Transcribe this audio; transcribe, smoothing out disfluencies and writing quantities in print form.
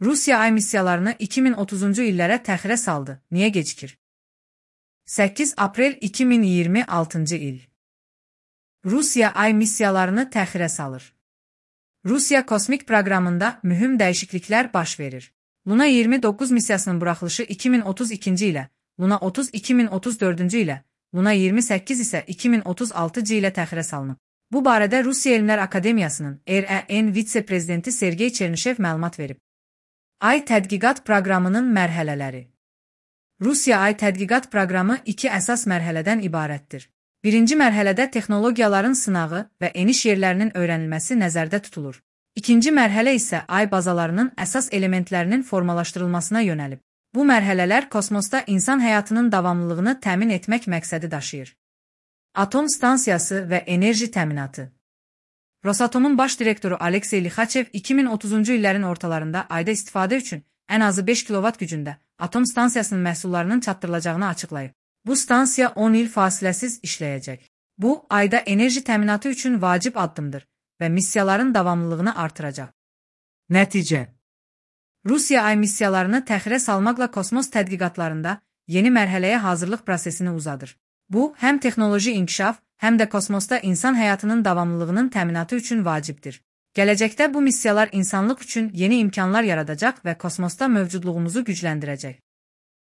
Rusiya ay missiyalarını 2030-cu illərə təxirə saldı. Niyə gecikir? 8 aprel 2026-cı il. Rusiya ay missiyalarını təxirə salır. Rusiya kosmik proqramında mühüm dəyişikliklər baş verir. Luna 29 missiyasının buraxılışı 2032-ci ilə, Luna 30 2034-cü ilə, Luna 28 isə 2036-cı ilə təxirə salınıb. Bu barədə Rusiya Elmlər Akademiyasının REN vitse-prezidenti Sergey Çernişev məlumat verib. Ay tədqiqat proqramının mərhələləri. Rusiya ay tədqiqat proqramı iki əsas mərhələdən ibarətdir. Birinci mərhələdə texnologiyaların sınağı və eniş yerlərinin öyrənilməsi nəzərdə tutulur. İkinci mərhələ isə ay bazalarının əsas elementlərinin formalaşdırılmasına yönəlib. Bu mərhələlər kosmosda insan həyatının davamlılığını təmin etmək məqsədi daşıyır. Atom stansiyası və enerji təminatı. Rosatomun baş direktoru Aleksey Lixachev 2030-cu illərin ortalarında ayda istifadə üçün ən azı 5 kilovat gücündə atom stansiyasının məhsullarının çatdırılacağını açıqlayıb. Bu stansiya 10 il fasiləsiz işləyəcək. Bu, ayda enerji təminatı üçün vacib addımdır və missiyaların davamlılığını artıracaq. Nəticə. Rusiya ay missiyalarını təxirə salmaqla kosmos tədqiqatlarında yeni mərhələyə hazırlıq prosesini uzadır. Bu, həm texnoloji inkişaf, həm də kosmosda insan həyatının davamlılığının təminatı üçün vacibdir. Gələcəkdə bu missiyalar insanlıq üçün yeni imkanlar yaradacaq və kosmosda mövcudluğumuzu gücləndirəcək.